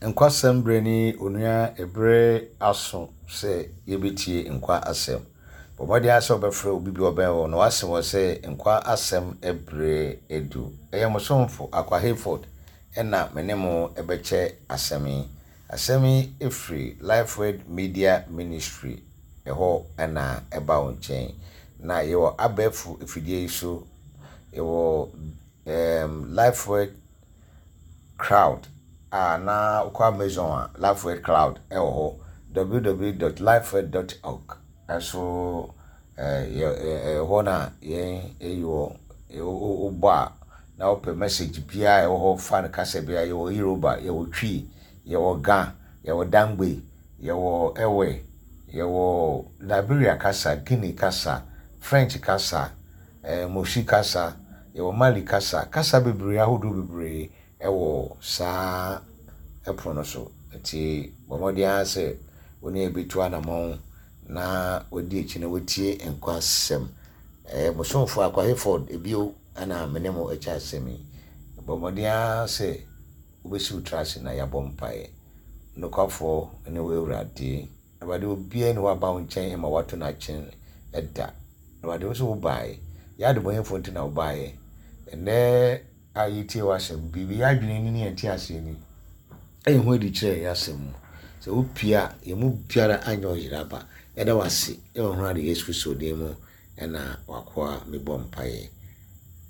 Nkwasɛm berɛ ni onua ɛberɛ aso sɛ yɛbɛtie nkwa asɛm. Bɔ mmɔden ara sɛ wobɛfrɛ obi bi a ɔbɛn wo na wase wɔ sɛ nkwa asɛm berɛ adu. Ɛyɛ mo somfo Akwa Hayford na me ne mo bɛkyɛ asɛm yi. Asɛm yi firi Lifeword Media Ministry hɔ na ɛba wo nkyɛn. Na yɛwɔ abɛɛfo afidie yi so, yɛwɔ um, Lifeword Crowd a na wokɔ Amazon a Lifeword Cloud wɔ hɔ, www dot lifeword dot org nso ɛyɛ hɔ na yɛn eyi wɔ. Wobɔ a na wopɛ message biara a ɛwɔ hɔ fa no kasa biara yɛwɔ Yoruba, yɛwɔ Twi, yɛwɔ Ga, yɛwɔ Dangbe, yɛwɔ Ewe, yɛwɔ Liberia kasa, Guinea kasa, French kasa, Mosi kasa, yɛwɔ Mali kasa, kasa bebree ahodoɔ bebree wɔ saa ɛpono no so. Nti bɔ mmɔden ara sɛ wo ne yɛn bɛtu anamɔn na wadi akyi na watie nkwa asɛm. Ɛyɛ mo somfo Akwa Hayford bio na me ne mo kyɛ asɛm yi. Bɔ mmɔden ara sɛ wobɛsi wo tiri ase na yɛabɔ mpaeɛ. Nokwafoɔ ne wo Awurade. Awurade, obiara nni hɔ a aba wo nkyɛn ma woato no akyene da. Awurade, wo nso wobaeɛ. Yɛn adebɔneyɛfoɔ nti na wobaeɛ. Ɛnnɛ a yɛretie w'asɛm, biribi yɛn adwene ni ne yɛn nteaseɛ ni, ɛyi ho adi kyerɛ yɛn asɛm mu. Sɛ wopue a, yɛn mu biara anyɛ ɔyera aba. Yɛda wo ase wɔ Awurade Yesu Kristo din mu na w'akoa mebɔ mpaeɛ.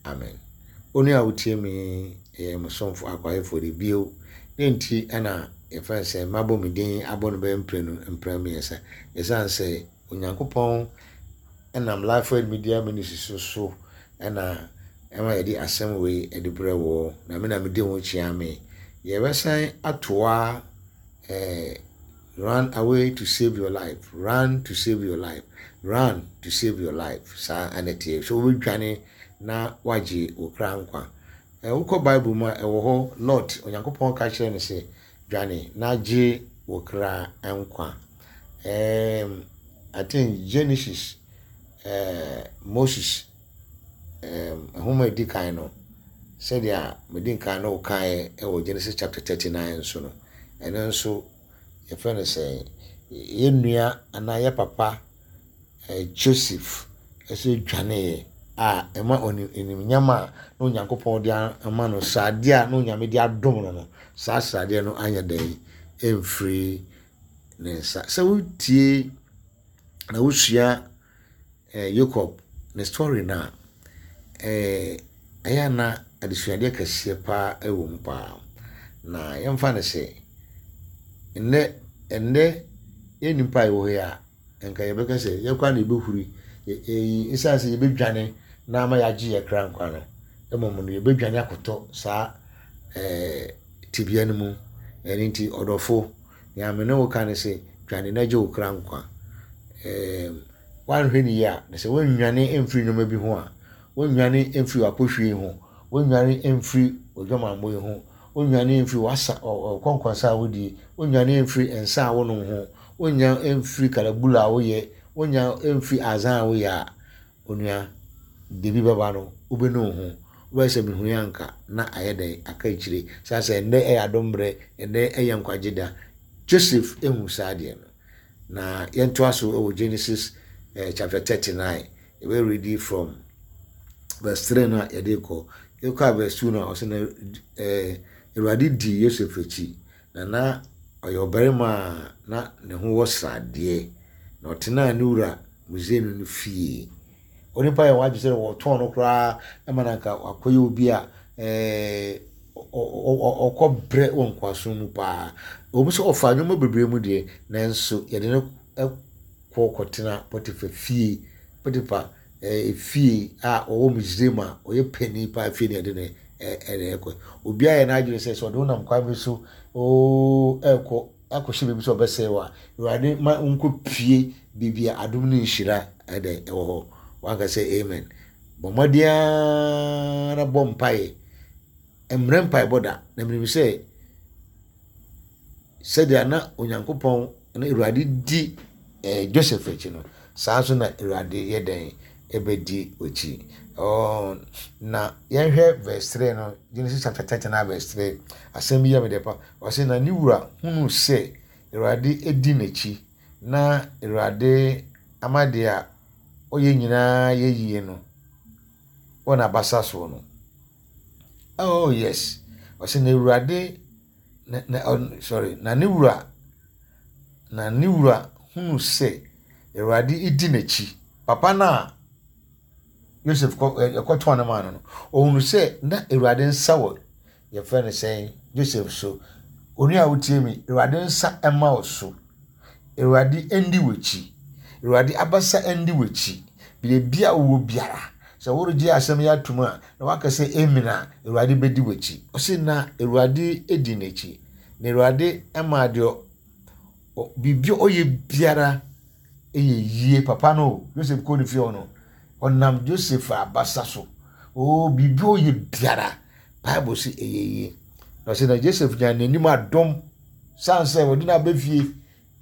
Amen. Onua a wotie me yi, ɛyɛ mo somfo Akwaefoɔ de bio. Dɛn nti na yɛfrɛ no sɛ mabɔ me din abɔ no bɛyɛ mprenu, mprɛ mmiɛnsa? Ɛsiane sɛ Onyankopɔn nam Lifeword Media Ministries so na ɛma yɛde asɛm wei de brɛ woɔ, na me na medi ho kyea me. Yɛbɛsan atoa eh, Run away to save your life, run to save your life, run to save your life. Saa na ɛteɛ. So wobɛdwane na woagye wo kra nkwa. Wokɔ Bible mu a, ɛwɔ hɔ, Lot, Onyankopɔn ka kyerɛ no sɛ, dwane na gye wo kra nkwa. Um, I think Genesis, uh, Moses, um, nhoma edi kan no, sɛdeɛ medi nkan no wokaeɛ wɔ Genesis chapter 39 nso no, ɛno nso yɛfrɛ no sɛ yɛn nua anaa yɛ papa eh, Joseph nso dwaneeɛ a ɛma animuonyam a na Onyankopɔn de ama no, sradeɛ a na Onyame de adom no no, saa sradeɛ no anyɛ dɛn ɛmfiri ne nsa. Sɛ wotie na wosua eh, Jacob ne story no a, eh, ɛyɛ a na adesuadeɛ kɛseɛ paa ɛwɔ mu paa. Na yɛmfa no sɛ, nnɛ, ɛnnɛ yɛn nnipa a yɛwɔ hɔ yi a, nka yɛbɛka sɛ yɛn koraa na yɛbɛhuri, ɛyi, ɛsiane sɛ yɛbɛdwane na ama yɛagye yɛn kra nkwa no, mmom no yɛbɛdwane akɔtɔ saa ɛɛ tebea no mu. Ɛno nti, ɔdɔfo, nea me ne wo ka ne sɛ, dwane na gye wo kra nkwa. Ɛɛ, woanhwɛ no yie a, na sɛ woannwane amfiri nneɛma bi ho a, woannwane amfiri w'apohwie ho, woannwane amfiri w'adwamammɔ yi ho, wonnwane mfiri w'asa ɔkɔnkɔnsa a wodie, wonnwane mfiri nsa a wonom ho, wonnya mfiri kalabula a woyɛ, wonnya mfiri azan a woyɛ a, onua, da bi bɛba no, wobɛnu wo ho. Wobɛyɛ sɛ mehui anka na ayɛ dɛn aka akyire. Saa sɛ ɛnnɛ ɛyɛ adom berɛ, ɛnnɛ ɛyɛ nkwagye da. Joseph ehu saa adeɛ no. Na yɛntoa so wɔ Genesis eh, chapter 39. Yɛbɛ read from verse 3 no a yɛde kɔ. Yɛkɔ a verse 2 no a ɔsɛ na eh, Awurade dii Yosef akyi, na na ɔyɛ ɔbarima a na ne ho wɔ sradeɛ, na ɔtenaa ne wura Misraimni no fie. Onipa yɛ wadwe sɛ wɔtɔn no koraa ma no anka wakɔyɛ obi a eh, ɔkɔ brɛ wɔ nkoasom mu paa. Ɛwɔ mu sɛ ɔfaa nneɛma bebree mu deɛ, nanso yɛde no kɔ kɔtena Potifa fie. Potifa fie a ɔwɔ Misraim a ɔyɛ panin paa fie na yɛde no ɛde ɛkɔ. Obiara yɛ n'adwene sɛ sɛ ɔde wo nam kwan bi so oo ɛkɔ akɔhyɛ baabi sɛ ɔbɛsɛe wo a, Awurade ma wonkɔ pie baabi a adom ne nhyira ɛdɛ ɛwɔ hɔ. Wanka sɛ amen. Bɔ mmɔden ara na bɔ mpaeɛ. Mmerɛ mpaebɔ da. Na menim sɛ sɛdeɛ na Onyankopɔn na Awurade di eh, Joseph akyi no, saa nso na Awurade yɛ dɛn? Ɛbɛdi w'akyi. Oh, na yɛnhwɛ verse 3 no, Genesis chapter 39 verse 3. Asɛm bi yɛ me dɛ pa. Ɔse, na ne wura hunuu sɛ Awurade di n'akyi, na Awurade ama deɛ a ɔyɛ nyinaa yɛ yie no wɔ n'abasa soɔ no. Oh yes. Ɔse na Awurade na, na, sorry, na ne wura na ne wura hunu sɛ Awurade di n'akyi. Papa no a Yosef kɔ ɛkɔtɔn no maa no no, ɔhunu sɛ na Awurade nsa wɔ yɛfrɛ no sɛn Joseph so. Onua a wotie me, Awurade nsa mma wo so. Awurade ndi w'akyi. Awurade abasa ndi w'akyi. Baabi a wowɔ biara, sɛ woregye asɛm yi atom a, na waka sɛ amen a, Awurade bɛdi w'akyi. Ɔse na Awurade di n'akyi. Na Awurade maa deɛ biribi a ɔyɛ biara yɛ yie. Papa no o, Joseph kɔɔ ne fie hɔ no, ɔnam Joseph abasa so. Oo, biribi a ɔyɛ biara, Bible se ɛyɛ yie. Na ɔse na Joseph nyaa n'anim adom san sɛ wɔde no aba fie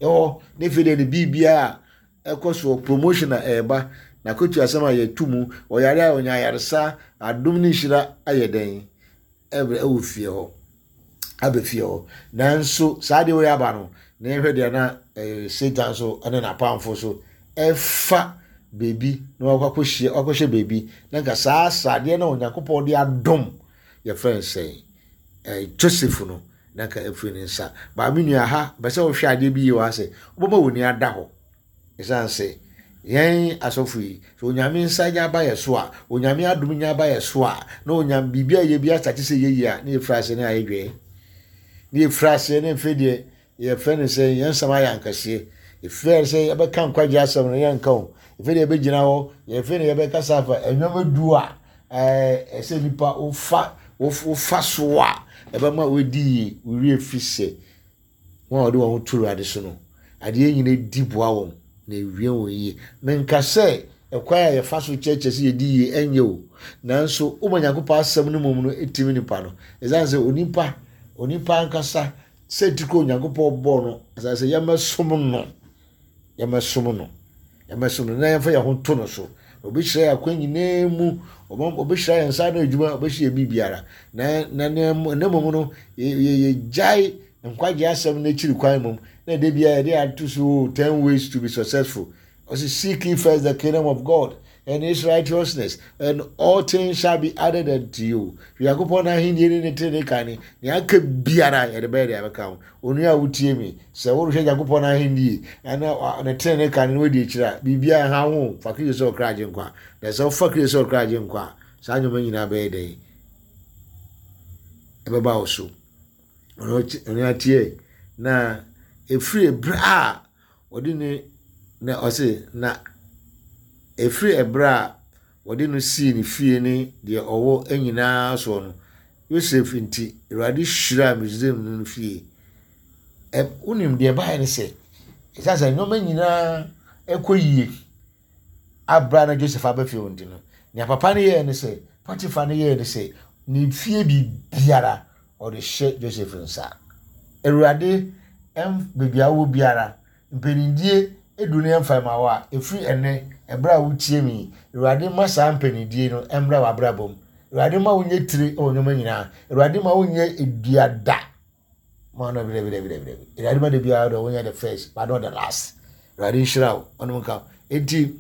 ɛhɔ ne fie deɛ ne biribiara a ɛkɔ soɔ promotion a ɛreba n'akatua asɛm a yɛto mu ɔyare a ɔnya ayaresa adom ne nhyira ayɛ dɛn ɛbrɛ ɛwɔ fie hɔ aba fie hɔ nanso saa deɛ wɔyɛ aba no na yɛhwɛ deɛ na ɛɛ Satan so ɛne n'apamfo so ɛfa beebi na wakɔ akɔhyia wakɔhyɛ beebi na nka saa sradeɛ na Onyankopɔn de adom yɛfrɛ no sɛn ɛɛ Joseph no na nka afiri ne nsa. Baa me nua ha, bɛ sɛ wohwɛ adeɛ bi yie wɔ ha sɛ, wobɛma w'ani ada hɔ. Ɛsiane sɛ yɛn asɔfo yi, sɛ Onyame nsa nya ba yɛ so a, Onyame adom nya ba yɛ so a, na onyam biribi a yɛ bi asate sɛ yɛyie a, na yɛfiri aseɛ na ayɛ dwɛɛ. Na yɛfiri aseɛ na mfe deɛ yɛfrɛ no sɛ yɛn nsɛm ayɛ ankɛseɛ. Ɛfiri sɛ yɛbɛka nkwagye asɛm no yɛnka o. Ɛfiri deɛ yɛbɛgyina hɔ, yɛfiri deɛ yɛbɛkasa afa nneɛma du a ɛsɛ nipa wofa wofa so a ɛbɛma wadi yie wo werɛ fi sɛ wɔn a wɔde wɔn ho to Awurade so no adeɛ nyina di boa wɔn na ewie wɔn yie. Menka sɛ ɛkwan a yɛfa so kyerɛkyerɛ sɛ yɛdi yie ɛnyɛ o, nanso woma Nyankopɔn asɛm no mmom no ɛtumi nipa no. Ɛsiane sɛ onipa onipa ankasa sɛ ti kɔ Onyankopɔn bɔɔ no asase sɛ yɛmmɛsom no. Yɛmmɛsom no. Yɛmmɛsom no na yɛmfa yɛn ho nto no so. Ɔbɛhyira yɛn akwan nyinaa mu. Ɔbɛhyira yɛn nsa ano adwuma, ɔbɛhyira yɛn biribiara. Na na na mmom no, yɛgyae nkwagye asɛm no akyiri kwan mmom. Na ɛda biara yɛde ato so oh, 10 ways to be successful. Ɔse seek ye first the kingdom of God and his righteousness and all things shall be added unto you. Nyankopɔn n'ahenni ne ne trenee kan ne nea aka biara yɛde bɛyɛ deɛ abɛka ho. Onua a wotie me, sɛ worehwɛ Nyankopɔn n'ahenni na ne trenee kan no wadi akyiri a, biribiara nha ho. Fa Kristo sɛ ɔkra agyenkwa. Na sɛ wofa Kristo sɛ ɔkra agyenkwa a, saa nneɛma nyinaa bɛyɛ dɛn? Ɛbɛba wo so. Onua tie na ɛfiri berɛ a Wɔde no na ɔse, na ɛfiri ɛberɛ a wɔde no sii ne fie ne deɛ ɔwɔ nyinaa soɔ no, Yosef nti, Awurade hyiraa Misraim no no fie. Ɛ, wonim deɛ ɛbaeɛ ne sɛ, ɛsiane sɛ nneɛma nyinaa ɛkɔ yie aberɛ a na Joseph aba fie hɔ nti no, nea papa no yɛɛ ne sɛ, Potiphar no yɛɛ ne sɛ, ne fie biribiara ɔde hyɛ Joseph nsa. Awurade ɛmf baabi a wowɔ biara, mpanindie edu no ɛmfa ma wo a, ɛfiri ɛnnɛ, ɛberɛ a wotie me yi, Awurade ma saa mpanindie no ɛmmra w'abrabɔ mu. Awurade ma wonyɛ tire wɔ nneɛma nyinaa. Awurade ma wonyɛ dua da. Ma no dabi dabi dabi dabi. Awurade ma da biara deɛ wonyɛ the first but not the last. Awurade nhyira wo, ɔnom nka wo. Enti,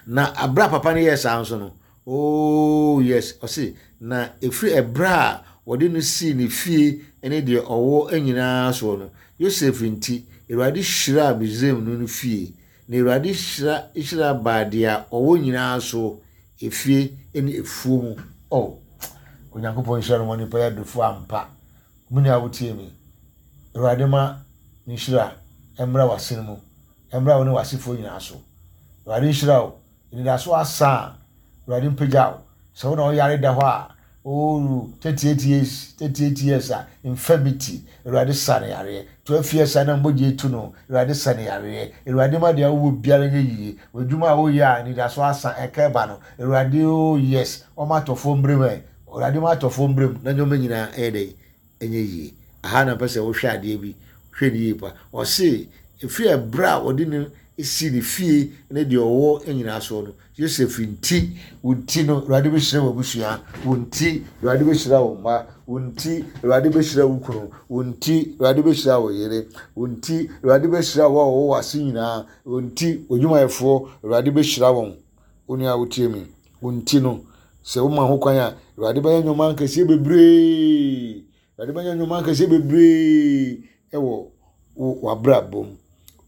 na abere a papa no yɛɛ saa nso no, Oh yes, ɔse, na ɛfiri ɛberɛ a wɔde no sii ne fie ne deɛ ɔwɔ nyinaa soɔ no, Yosef nti, Awurade hyiraa Misraim no no fie, na Awurade hyira hyira baa deɛ ɔwɔ nyinaa so, efie ne efuo mu. Oh, Onyankopɔn nhyira no ma nipa yɛ adefoɔ ampa. Mo nua wotie me, Awurade ma ne nhyira mmra w'asene mu, mmra wo ne w'asefoɔ nyinaa so. Awurade nhyira wo. Anidaso asa a, Awurade mpagya wo. Sɛ wo na woyare da hɔ a, oh, 38 years, 38 years a, infirmity, Awurade sa no yareɛ. 12 years a na mogya etu no, Awurade sa no yareɛ. Awurade ma deɛ wowɔ biara nyɛ yie. W'adwuma a woyɛ a anidaso asa, ɛka ɛba no, Awurade, oh yes, ɔma atɔfoɔ mbrɛ mu ɛ. Awurade ma atɔfoɔ mbrɛ mu na nneɛma nyinaa ɛyɛ dɛn? Ɛnyɛ yie. Aha na mpɛ sɛ wohwɛ adeɛ bi, hwɛ no yie pa. Ɔse, ɛfiri ɛberɛ a wɔde no. sii ne fie ne deɛ ɔwɔ nyinaa soɔ no, Yosef nti, wo nti no, Awurade bɛhyira w'abusua, wo nti, Awurade bɛhyira wo mma, wo nti, Awurade bɛhyira wo kunu, wo nti, Awurade bɛhyira wo yere, wo nti, Awurade bɛhyira wo a wɔwɔ w'ase nyinaa, wo nti, w'adwumayɛfoɔ, Awurade bɛhyira wɔn. Wo nua a wotie me, wo nti no, sɛ woma ho kwan a, Awurade bɛyɛ nneɛma akɛseɛ bebree. Awurade bɛyɛ nneɛma akɛseɛ bebree wɔ w'abrabɔ mu.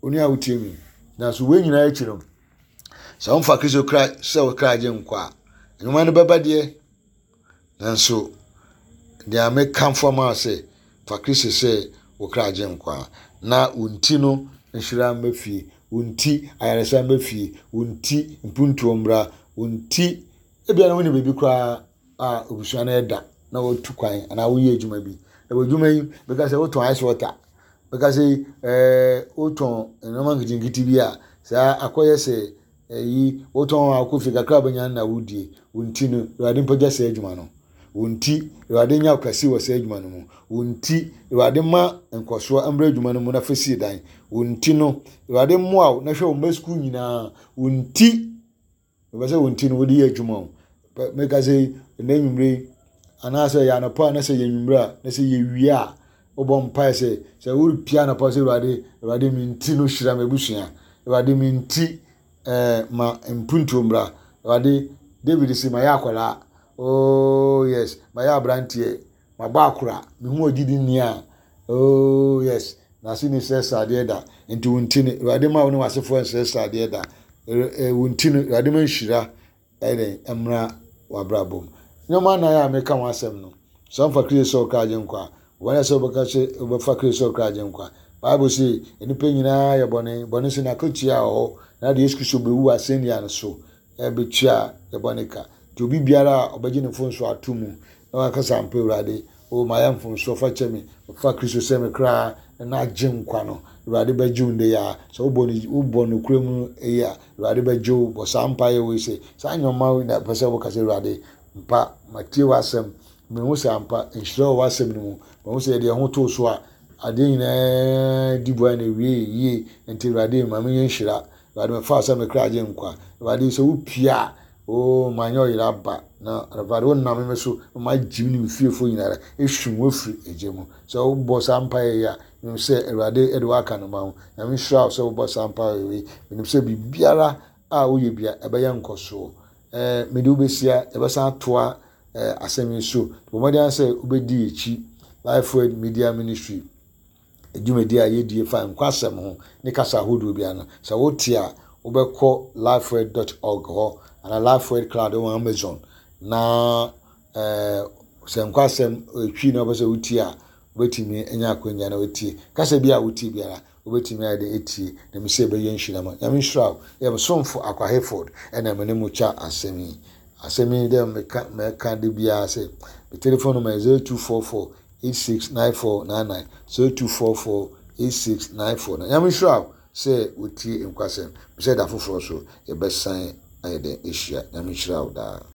Onua a wotie me, nanso wei nyinaa akyi no, sɛ womfa Kristo kra sɛ wo kra gye nkwa a, nneɛma no bɛba deɛ. Nanso deɛ mekamfo ama wo sɛ, fa Kristo sɛ wo kra gye nkwa, na wo nti no nhyira mma fie, wo nti ayaresa mma fie, wo nti mpuntuo mmra, wo nti ebia na wone baabi koraa a abusua no ɛda na wɔtu kwan anaa woyɛ adwuma bi. Na w'adwuma yi bɛka sɛ wotɔn ice water, bɛka sɛ ɛɛ wotɔn nneɛma nketenkete bi a saa akɔyɛ sɛ ɛyi wotɔn a wokɔ fie kakra a wobɛnya no na wodie. Wo nti no, Awurade mpagya saa adwuma no. Wo nti, Awurade nya wo kɛse wɔ saa adwuma no mu. Wo nti, Awurade ma nkɔsoɔ mmra adwuma no mu na fa sie dan. Wo nti no, Awurade mmoa wo na hwɛ wo mma sukuu nyinaa. Wo nti, Mepɛ sɛ wo nti no wode yɛ adwuma o. Meka sɛ ɛnɛ anwummere yi anaasɛ ɛyɛ anɔpa a na sɛ yɛ anwummere a na sɛ yɛwie a wobɔ mpae sɛ sɛ worepia anɔpa sɛ Awurade Awurade me nti no hyira m'abusua Awurade me nti ɛɛ ma mpuntuo mmra Awurade David si mayɛ akwadaa oh yes mayɛ aberanteɛ Mabɔ akora, me ho agyidi nni a, oh yes, n'ase ni srɛ sradeɛ da, nti wo nti no, Awurade ma wo ne w'asefoɔ nsrɛ sradeɛ da, wo nti no, Awurade ma nhyira ɛdɛn mmra w'abrabɔ mu. Nneɛma nnan a meka ho asɛm no, sɛ womfa Kristo sɛ ɔkra agyenkwa a, wɔn a sɛ wobɛka sɛ wobɛfa Kristo sɛ ɔkra agyenkwa. Bible se, nnipa nyinaa yɛ bɔne, bɔne nso n'akatua wɔ hɔ, na de Yesu Kristo bɛwu asɛnnua no so, bɛtua yɛ bɔne ka. Nti obi biara a ɔbɛgye ne mfomsoɔ ato mu na waka sɛ ampa Awurade, o mayɛ mfomsoɔ fa kyɛ me, fa Kristo sɛ me kra na agye nkwa no, Awurade bɛgye wo ndɛ yi ara. Sɛ wobɔ no wobɔ nokorɛ mu yi a, Awurade bɛgye wo. Bɔ saa mpaeɛ wei sɛ, saa nneɛma wei na pɛ sɛ woka sɛ Awurade, mpa matie w'asɛm, mehu sɛ ampa nhyira wɔ w'asɛm no mu, mahu sɛ yɛde yɛn ho too so a, adeɛ nyinaa di boa na ɛwie yie, nti Awurade ma menyɛ nhyira. Awurade mefaa sɛ me kra gye nkwa. Awurade sɛ wopue a, oo manyɛ ɔyere aba. Na Awurade wonam me so ma magye me ne me fiefoɔ nyinara ehwim wo afiri egya mu. Sɛ wobɔ saa mpaeɛ yi a, menim sɛ Awurade de wo aka ne mma ho. Nyame nhyira wo sɛ wobɔ saa mpaeɛ wei. Menim sɛ biribiara a woyɛ bia ɛbɛyɛ nkɔsoɔ. Ɛɛ mede wo bɛsia, yɛbɛsan atoa ɛɛ asɛm yi so. Bɔ mmɔden ara sɛ wobɛdi akyi. Life Word Media Ministry. Dwumadi a yɛdie fa nkwasɛm ho ne kasa ahodoɔ biara no, sɛ wote a, wobɛkɔ lifeword dot org hɔ anaa lifeword cloud wɔ Amazon na eh, sɛ nkwasɛm ɛtwi na wopɛ sɛ wotie a, wobɛtumi anya akwanya na wotie. Kasa bi a wotie biara, wobɛtumi ayɛ dɛ ɛtie na mesɛ ɛbɛyɛ nhyira ma. Nyame nhyira wo. Yɛ mesomfo Akwa Hayford ɛna me ne mo kya asɛm yi. Asɛm yi dɛ meka mɛka de biara sɛ, me telephone number yɛ 0244 869499 0244 8694 Nyame nhyira wo sɛ wotie nkwasɛm. Mesɛ da foforɔ so yɛbɛsan ayɛ dɛn ahyia. Nyame nhyira wo daa.